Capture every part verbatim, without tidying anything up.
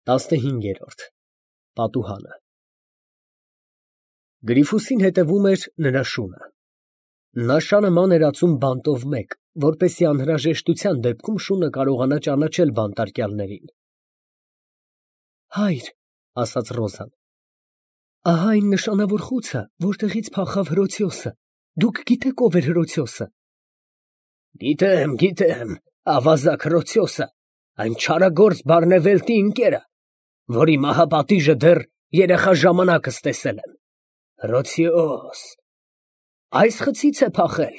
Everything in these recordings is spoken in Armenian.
տասնհինգերորդ պատուհանը Գրիֆուսին հետևում էր նրա շունը։ Նա շանը ման էր ածում բանտով մեկ, որպեսզի անհրաժեշտության դեպքում շունը կարողանա ճանաչել բանտարկյալներին։ Հայր, ասաց Ռոզան, ահա այն նշանավոր խուցը, որտեղից փախավ Հրոցիոսը, դուք գիտեք ով էր Հրոցիոսը։ Գիտեմ, գիտեմ, ավազակ Հրոցիոսը, այն չարագործ Բարնևելտի ընկերը, որի մահապատիժը դեռ երեխա ժամանակս տեսել եմ։ Հրոցիոս, այս խցից է փախել։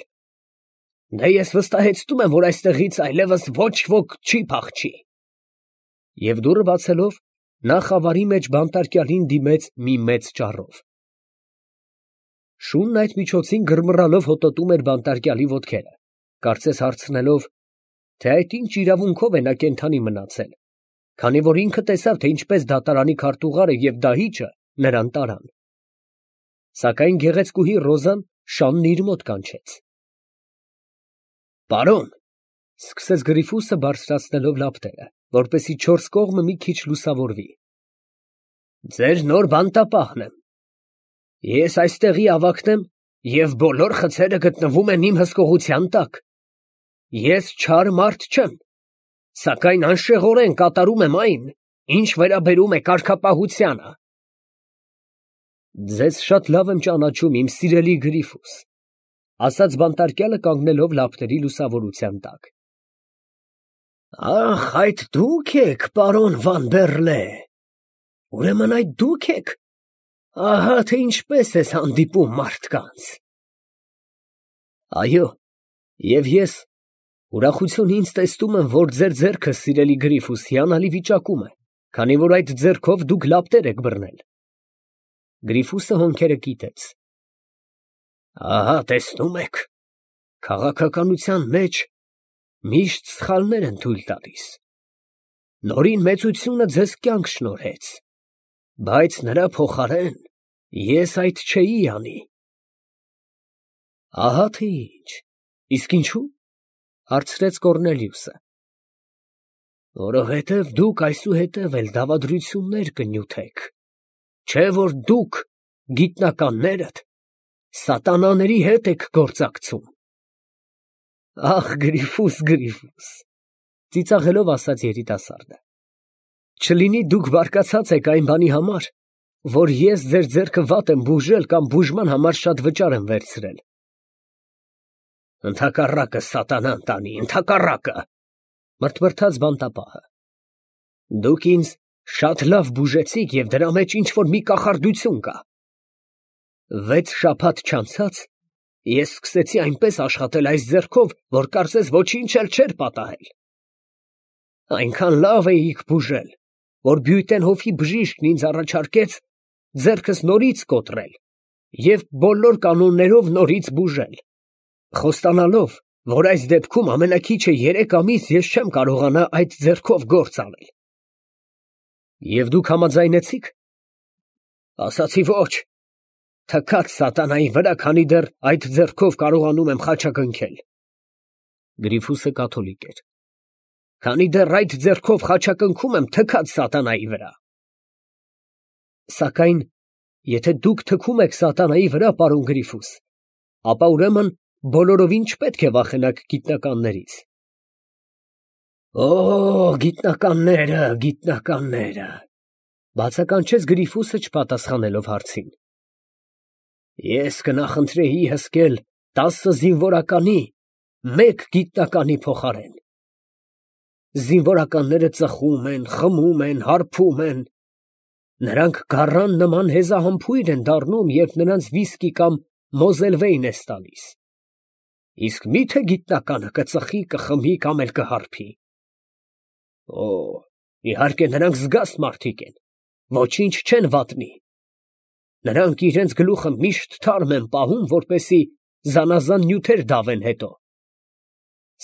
Դե ես վստահեցնում եմ, որ այստեղից այլևս ոչ ոք չի փախչի։ Եվ դուռը բացելով, նա խավարի մեջ բանտարկյալին դիմեց մի մեծ ճառով։ Շունն այդ միջոցին գրմռալով հոտոտում էր բանտարկյալի ոտքերը, կարծես հարցնելով, թե այդ ինչ իրավունքով է նա կենդանի մնացել, քանի որ ինքը տեսավ, թե ինչպես դատարանի քարտուղարը և դահիճը նրան տարան։ Սակայն գեղեցկուհի Ռոզան շանն իր մոտ կանչեց։ Պարոն, սկսեց Գրիֆուսը բարձրացնելով լապտերը, որպեսզի չորս կողմը մի քիչ լուսավորվի։ Ձեր նոր բանտապահն եմ։ Ես այստեղի ավագն եմ, և բոլոր խցերը գտնվում են իմ հսկողության տակ։ Ես չար մարդ չեմ, սակայն անշեղորեն կատարում եմ այն, ինչ վերաբերում է կարգապահությանը։ Ձեզ շատ լավ եմ ճանաչում, իմ սիրելի Գրիֆուս, ասաց բանտարկյալը կանգնելով լապտերի լուսավորության տակ։ Ախ, այդ դուք եք, պարոն Վան Բեռլե, ուրեմն այդ դուք եք, ահա թե ինչպես ես հանդիպում մարդկանց։ Այո, և ես ուրախություն ինձ տեսնում եմ, որ ձեր ձեռքը, սիրելի Գրիֆուս, հիանալի վիճակում է, քանի որ այդ ձեռքով դուք լապտեր եք բռնել։ Գրիֆուսը հոնքերը կիտեց։ Ահա տեսնում եք, քաղաքականության մեջ միշտ սխալներ են թույլ տալիս։ Նորին մեծությունը ձեզ կյանք շնորհեց, բայց նրա փոխարեն ես այդ չէի անի։ Ահա թե ինչ, իսկ ինչու՞, հարցրեց Կոռնելիուսը։ Որովհետև դուք այսուհետև էլ դավադրություններ կնյութեք, չէ՞ որ դուք, գիտնականներդ, սատանաների հետ եք գործակցում։ Ախ, Գրիֆուս, Գրիֆուս, ծիծաղելով ասաց երիտասարդը, չլինի դուք բարկացած եք այն բանի համար, որ ես ձեր ձեռքը վատ եմ բուժել կամ բուժման համար շատ վճար եմ վերցրել։ Ընդհակառակը սատանան տանի, ընդհակառակը, մրթմրթաց բանտապահը։ Դուք ինձ շատ լավ բուժեցիք և դրա մեջ ինչ-որ մի կախարդություն կա։ Վեց շաբաթ չանցած ես սկսեցի այնպես աշխատել այս ձեռքով, որ կարծես ոչինչ էլ չէր պատահել։ Այնքան լավ էիք բուժել, որ Բյուտենհոֆի բժիշկն ինձ առաջարկեց ձեռքս նորից կոտրել և բոլոր կանոններով նորից բուժել, խոստանալով, որ այս դեպքում ամենաքիչը երեք ամիս ես չեմ կարողանա այդ ձեռքով գործ անել։ Եվ դուք համաձայնեցիք։ Ասացի ոչ, թքած սատանայի վրա, քանի դեռ այդ ձեռքով կարողանում եմ խաչակնքել։ Գրիֆուսը կաթոլիկ էր։ Քանի դեռ այդ ձեռքով խաչակնքում եմ թքած սատանայի վրա։ Սակայն, եթե դուք թքում եք սատանայի վրա, պարոն Գրիֆուս, ապա ուրեմն բոլորովին չպետք է վախենաք գիտնականներից։ Օ, գիտնականները, գիտնականները, բացականչեց Գրիֆուսը չպատասխանելով հարցին։ Ես կնախընտրեի հսկել տասը զինվորականի մեկ գիտնականի փոխարեն։ Զինվորականները ծխում են, խմում են, հարբում են։ Նրանք գառան նման հեզահամբույր են դառնում, երբ նրանց վիսկի կամ մոզելվեյն ես տալիս։ Իսկ մի՞թե գիտնականը կծխի, կխմի կամ էլ կհարբի։ Օ, իհարկե նրանք զգաստ մարդիկ են, ոչինչ չեն վատնի։ Նրանք իրենց գլուխը միշտ թարմ են պահում, որպեսզի զանազան նյութեր դավեն հետո։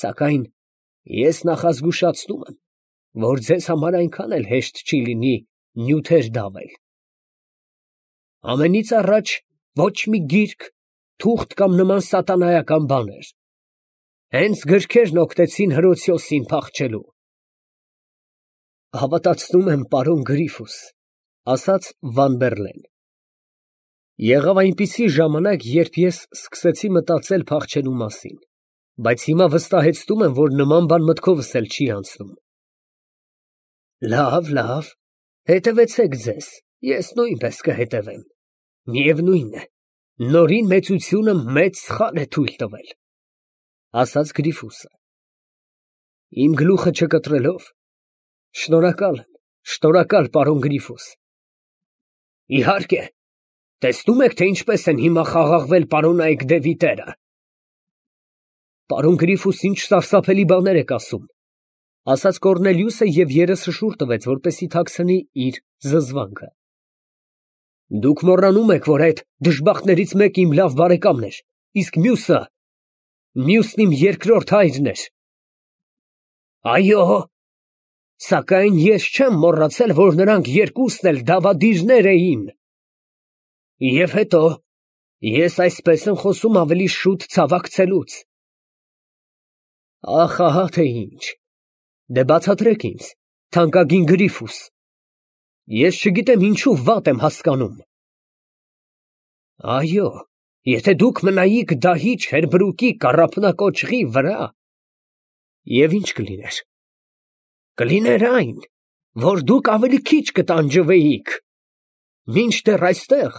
Սակայն ես նախազգուշացնում եմ, որ ձեզ համար այնքան էլ հեշտ չի լինի նյութեր դավել։ Ամենից առաջ ոչ մի գիրք, թուղթ կամ նման սատանայական բաներ։ Հենց գրքերն օգնեցին Հրոցիոսին փախչելու։ Հավատացնում եմ, պարոն Գրիֆուս, ասաց Վան Բերլեն։ Եղավ այնպիսի ժամանակ, երբ ես սկսեցի մտածել փախչելու մասին, բայց հիմա վստահեցնում եմ, որ նման բան մտքովս էլ չի անցնում։ Լավ, լավ, հետևեցեք ձեզ, ես նույնպես կհետևեմ։ Միևնույն է, նորին մեծությունը մեծ սխալ է թույլ տվել, ասաց Գրիֆուսը։ Իմ գլուխը չկտրելով, շնորհակալ եմ, շնորհակալ պարոն Գրիֆուս։ Իհարկե, տեսնում եք, թե ինչպես են հիմա խաղաղվել պարոնայք դևիտերը։ Պարոն Գրիֆուս, ինչ սարսափելի բաներ եք ասում, ասաց Կոռնելիուսը և երեսը շուռ տվեց, որպեսզի թաքցնի իր զզվանքը։ Դուք մոռանում եք, որ այդ դժբախտներից մեկը իմ լավ բարեկամն էր, իսկ մյուսը, մյուսն իմ երկրորդ հայրն էր։ Այո, սակայն ես չեմ մոռացել, որ նրանք երկուսն էլ դավադիրներ էին։ Եվ հետո, ես այսպես եմ խոսում ավելի շուտ ցավակցելուց։ Ախ, ահա թե ինչ, դե բացատրեք ինձ, թանկագին Գրիֆուս, ես չգիտեմ ինչու վատ եմ հասկանում։ Այո, եթե դուք մնայիք դահիճ Հերբրուկի կառափնակոճղի վրա, և ինչ կլիներ։ Կլիներ այն, որ դուք ավելի քիչ կտանջվեիք, մինչդեռ այստեղ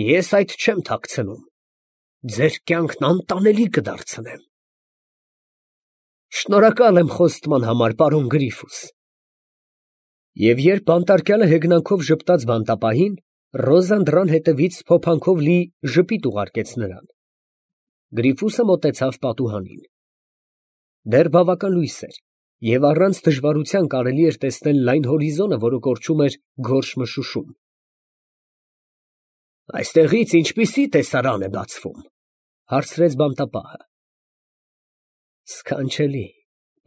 ես այդ չեմ թաքցնում, ձեր կյանքն անտանելի կդարձնեմ։ Շնորհակալ եմ խոստման համար, պարոն Գրիֆուս։ Եվ երբ բանտարկյալը հեգնանքով ժպտաց բանտապահին, Ռոզան դռան հետևից փոփանքով լի ժպիտ ուղարկեց նրան։ Գրիֆուսը մոտեցավ պատուհանին։ Դեռ բավական լույս էր, և առանց դժվարության կարելի էր տեսնել լայն հորիզոնը, որը կորչում էր գորշ մշուշում։ Այստեղից ինչպիսի տեսարան է բացվում, հարցրեց բանտապահը։ Սքանչելի,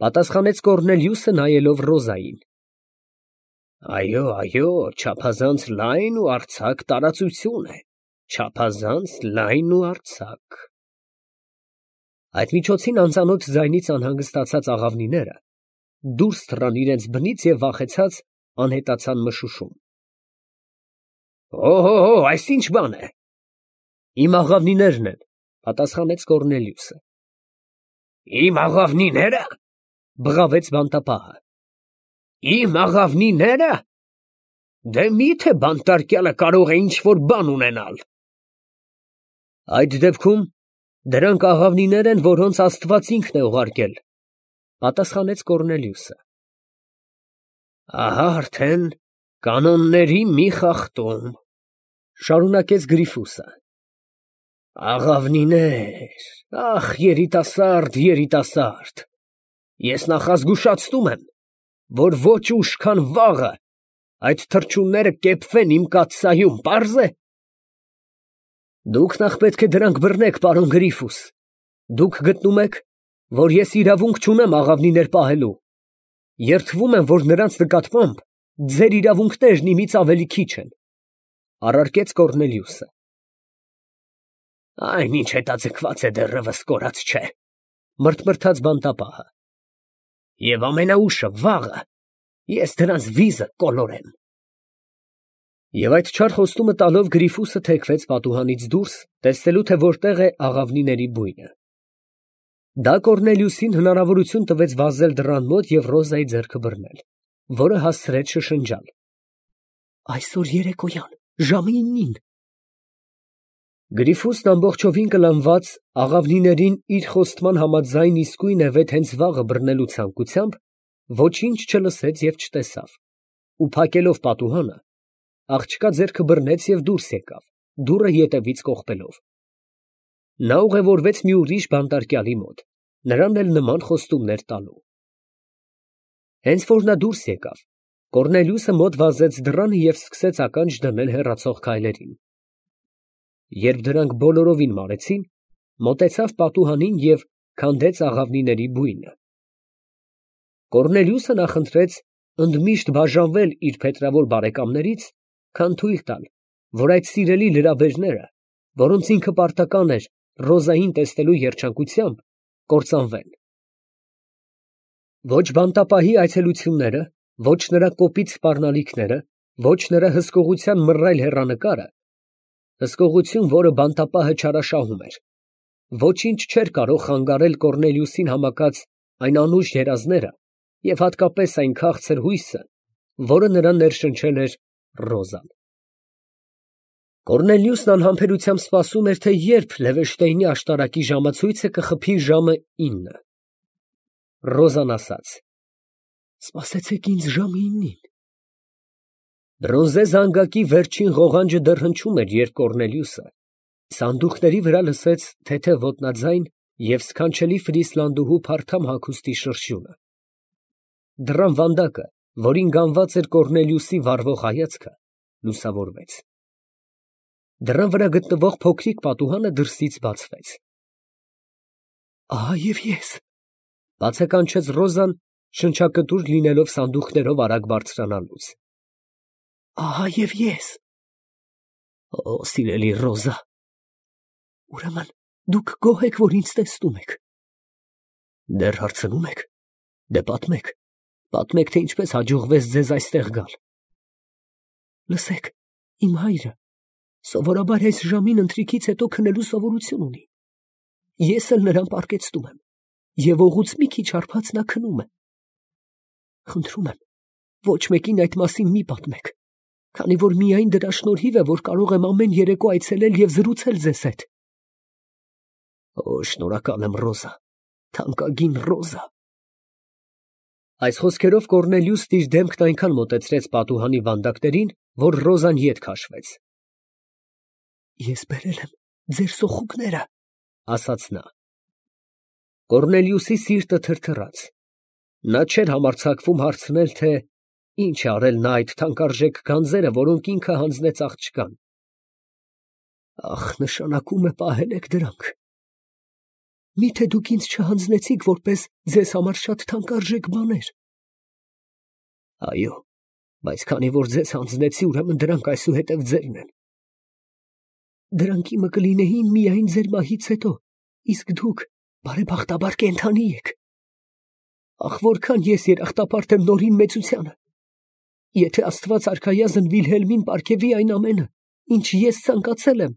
պատասխանեց Կոռնելիուսը, նայելով Ռոզային։ Այո, այո, չափազանց լայն ու արձակ տարածություն է, չափազանց լայն ու արձակ։ Այդ միջոցին անծանոթ ձայնից անհանգստացած աղավնիները դուրս թռան իրենց բնից և վախեցած անհետացան մշուշում։ Օհո, այս ինչ բան է։ Իմ աղավնիներն են, պատասխանեց Կոռնելիուսը։ Իմ աղավնիները, բղավեց բանտապահը։ Իմ աղավնիները, դե մի՞թե բանտարկյալը կարող է ինչ-որ բան ունենալ։ Այդ դեպքում դրանք աղավնիներ են, որոնց Աստված ինքն է ուղարկել, պատասխանեց Կոռնելիուսը։ Ահա արդեն կանոնների մի խախտում, շարունակեց Գրիֆուսը։ Աղավնիներ, ախ, երիտասարդ, երիտասարդ, ես նախազգուշացնում եմ, որ ոչ ուշ, քան վաղը այդ թռչունները կեպվեն իմ կաթսայում, պարզ է։ Դուք նախ պետք է դրանք բռնեք, պարոն Գրիֆուս, դուք գտնում եք, որ ես իրավունք չունեմ աղավնիներ պահելու, երդվում եմ, որ նրանց նկատմամբ ձեր իրավունքներն իմից ավելի քիչ են, առարկեց Կոռնելիուսը։ Այն ինչ հետաձգված է դեռևս կորած չէ, մրթմրթաց բանտապահը, և ամենաուշը վաղը ես դրանց վիզը կոլորեմ։ Եվ այդ չար խոստումը տալով Գրիֆուսը թեքվեց պատուհանից դուրս, տեսնելու թե որտեղ է աղավնիների բույնը։ Դա Կոռնելիուսին հնարավորություն տվեց վազել դռան մոտ և Ռոզայի ձեռքը բռնել, որը հասցրեց շշնջալ. Այսօր երեկոյան, ժամը իննին։ Գրիֆուսն ամբողջովին կլանված աղավնիներին իր խոստման համաձայն իսկույն է վեթ հենց վաղը բռնելու ցանկությամբ, ոչինչ չլսեց և չտեսավ, ու փակելով պատուհանը, աղջկա ձեռքը բռնեց և դուրս եկավ, դուռը ետևից կողպելով։ Նա ուղևորվեց մի ուրիշ բանտարկյալի մոտ, նրան էլ նման խոստումներ տալու։ Հենց որ նա դուրս եկավ, Կոռնելիուսը մոտ վազեց դռանը և սկսեց ականջ դնել հեռացող քայլերին։ Երբ դրանք բոլորովին մարեցին, մոտեցավ պատուհանին և քանդեց աղավնիների բույնը։ Կոռնելիուսը նախընտրեց ընդմիշտ բաժանվել իր փետրավոր բարեկամներից, քան թույլ տալ, որ այդ սիրելի լրաբերները, որոնց ինքը պարտական էր Ռոզային տեսնելու երջանկությամբ, կործանվեն։ Ոչ բանտապահի այցելությունները, Ոչ նրա կոպիտ սպառնալիքները, ոչ նրա հսկողության մռայլ հեռանկարը, հսկողություն, որը բանտապահը չարաշահում էր, ոչինչ չէր կարող խանգարել Կոռնելիուսին համակած այն անուշ երազները և հատկապես այն քաղցր հույսը, որը նրան ներշնչել էր Ռոզան։ Կոռնելիուսն անհամբերությամբ սպասում էր, թե երբ Լևեշտեյնի աշտարակի ժամացույցը կխփի ժամը ինը։ Ռոզան ասաց. «Սպասեցեք ինձ ժամը ինին»։ Բրոնզե զանգակի վերջին ղողանջը դեռ հնչում էր, երբ Կոռնելիուսը սանդուղքների վրա լսեց թեթև ոտնաձայն և սքանչելի ֆրիսլանդուհու փարթամ հագուստի շրշյունը։ Դռան վանդակը, որին գանված էր Կոռնելիուսի վառվող հայացքը, լուսավորվեց։ Դռան վրա գտնվող փոքրիկ պատուհանը դրսից բացվեց։ «Ահա և ես», ֊ բացականչեց Ռոզան, շնչակտուր լինելով սանդուղքներով արագ բարձրանալուց։ «Ահա և ես»։ «Օ, սիրելի Ռոզա, ուրեմն դուք գոհ եք, որ ինձ տեսնում եք։ Դեռ հարցնում եք, դե պատմեք, պատմեք, թե ինչպես հաջողվեց ձեզ այստեղ գալ։ Լսեք, իմ հայրը սովորաբար այս ժամին ընթրիքից հետո քնելու սովորություն ունի։ Ես էլ նրան պառկեցնում եմ, և օղուց մի քիչ հարբած նա քնում է։ Խնդրում եմ, ոչ մեկին այդ մասին մի պատմեք, քանի որ միայն դրա շնորհիվ է, որ կարող եմ ամեն երեկո այցելել և զրուցել ձեզ հետ։ Օ, շնորհակալ եմ, Ռոզա, թանկագին Ռոզա։ Այս խոսքերով Կոռնելիուսն իր դեմքն այնքան մոտեցրեց պատուհանի վանդակներին, որ Ռոզան ետ քաշվեց։ Ես բերել եմ ձեր սոխուկները, ասաց նա։ Կոռնելիուսի սիրտը թրթռաց։ Նա չէր համարձակվում հարցնել, թե ինչ է արել նա այդ թանկարժեք գանձերը, որոնք ինքը հանձնեց աղջկան։ Ախ, նշանակում է պահել եք դրանք։ Միթե դուք ինձ չհանձնեցիք որպես ձեզ համար շատ թանկարժեք բաներ։ Այո, բայց քանի որ ձեզ հանձնեցի, ուրեմն դրանք այսուհետև ձերն են։ Դրանք իմը կլինեին միայն ձեր մահից հետո, իսկ դուք բարեբախտաբար կենդանի եք։ Ախ, որքան ես երախտապարտ եմ նորին մեծությանը։ Եթե Աստված արքայազն Վիլհելմին պարգևի այն ամենը, ինչ ես ցանկացել եմ,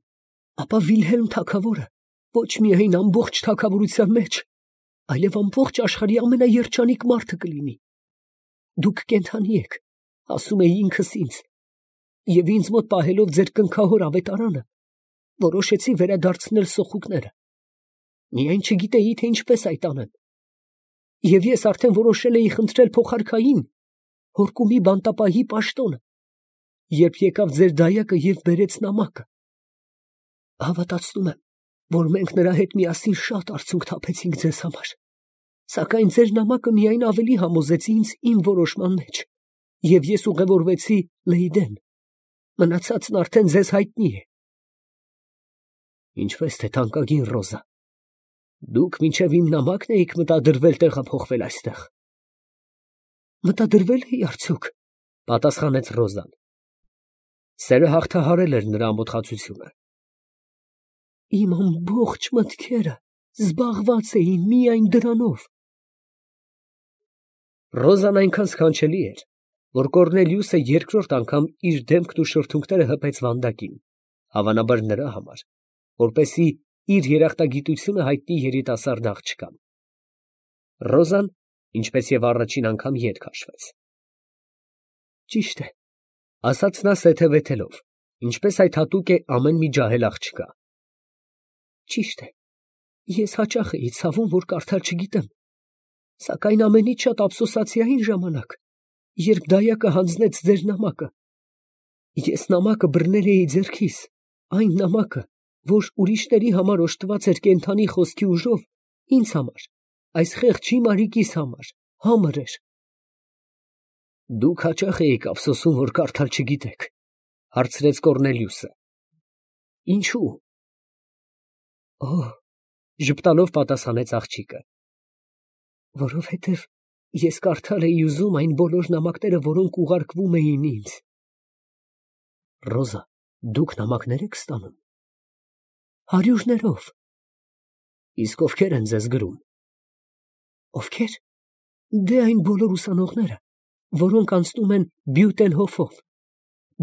ապա Վիլհելմ թագավորը ոչ միայն ամբողջ թագավորության մեջ, այլև ամբողջ աշխարհի ամենաերջանիկ մարդը կլինի։ Դուք կենդանի եք, ասում էի ինքս ինձ, և ինձ մոտ պահելով ձեր կնքահոր ավետարանը, որոշեցի վերադարձնել սոխուկները։ Միայն չգիտեի, թե ինչպես այդ անեմ։ Եվ ես արդեն որոշել էի խնդրել փոխարքային, հորկումի բանտապահի պաշտոնը, երբ եկավ ձեր դայակը և բերեց նամակը։ Հավատացնում եմ, որ մենք նրա հետ միասին շատ արցունք թափեցինք ձեզ համար, սակայն ձեր նամակը միայն ավելի համոզեց ինձ իմ որոշման մեջ, և ես ուղևորվեցի Լեյդեն։ Մնացածն արդեն ձեզ հայտնի է։ Ինչպես թե թանկագին Ռոզա, դուք մինչև իմ նամակն էիք մտադրվել տեղափոխվել այստեղ։ Մտադրվել էի արդյոք, պատասխանեց Ռոզան։ Սերը հաղթահարել էր նրա ամոթխածությունը։ Իմ ամբողջ մտքերը զբաղված էին միայն դրանով։ Ռոզան այնքան սքանչելի էր, որ Կոռնելիուսը երկրորդ անգամ իր դեմքն ու շրթունքները հպեց վանդակին, հավանաբար նրա համար, որպեսզի իր երախտագիտությունը հայտնի երիտասարդ աղջկան։ Ռոզան, ինչպես և առաջին անգամ, ետ քաշվեց։ Ճիշտ է, ասաց նա սեթևեթելով, ինչպես այդ հատուկ է ամեն մի ջահել աղջկա։ Ճիշտ է, ես հաճախ էի ցավում, որ կարդալ չգիտեմ, սակայն ամենից շատ ափսոսացի այն ժամանակ, երբ դայակը հանձնեց ձեր նամակը։ Ես նամակը բռնել էի ձեռքիս, այն նամակը, որ ուրիշների համար օժտված էր կենդանի խոսքի ուժով, ինձ համար, այս խեղճի Մարիկիս համար, համր էր։ Դուք հաճախ էիք ափսոսում, որ կարդալ չգիտեք, հարցրեց Կոռնելիուսը։ Ինչու։ Օ, ժպտալով պատասխանեց աղջիկը։ Որովհետև ես կարդալ էի ուզում այն բոլոր նամակները, որոնք ուղարկվում էին ինձ։ Ռոզա, դուք նամակներ եք ստանում։ Հարյուրներով։ Իսկ ովքեր են ձեզ գրում։ Ովքեր։ Դե այն բոլոր ուսանողները, որոնք անցնում են Բյուտենհոֆով,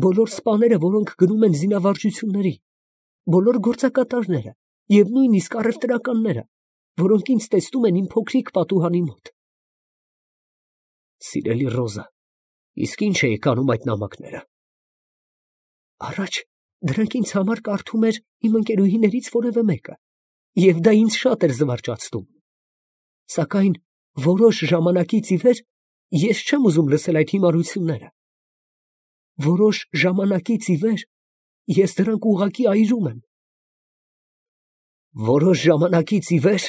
բոլոր սպաները, որոնք գնում են զինավարժությունների, բոլոր գործակատարները և նույնիսկ առևտրականները, որոնք ինձ տեսնում են իմ փոքրիկ պատուհանի մոտ։ Սիրելի Ռոզա, իսկ ի՞նչ էիք անում այդ նամակները։ Առաջ դրանք ինձ համար կարդում էր իմ ընկերուհիներից որևէ մեկը, և դա ինձ շատ էր զվարճացնում։ Սակայն որոշ ժամանակից ի վեր ես չեմ ուզում լսել այդ հիմարությունները։ Որոշ ժամանակից ի վեր ես դրանք ուղղակի այրում եմ։ Որոշ ժամանակից ի վեր,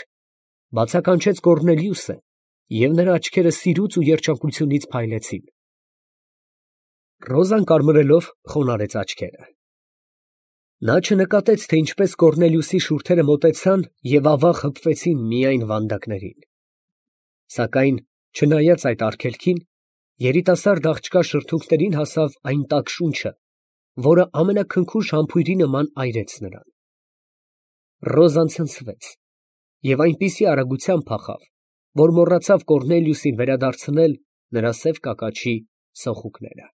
բացականչեց Կոռնելիուսը, և նրա աչքերը սիրուց ու երջանկությունից փայլեցին։ Ռոզան կարմրելով խոնարհեց աչքերը։ Նա չնկատեց, թե ինչպես Կոռնելիուսի շուրթերը մոտեցան և ավաղ հպվեցին միայն վանդակներին։ Սակայն, չնայած այդ արգելքին, երիտասարդ աղջկա շրթունքներին հասավ այն տաք շունչը, որը ամենաքնքուշ համբույրի նման այրեց նրան։ Ռոզան ցնցվեց և այնպիսի արագությամբ փախավ, որ մոռացավ Կոռնելիուսին վերադարձնել նրա սև կակաչի սոխուկները։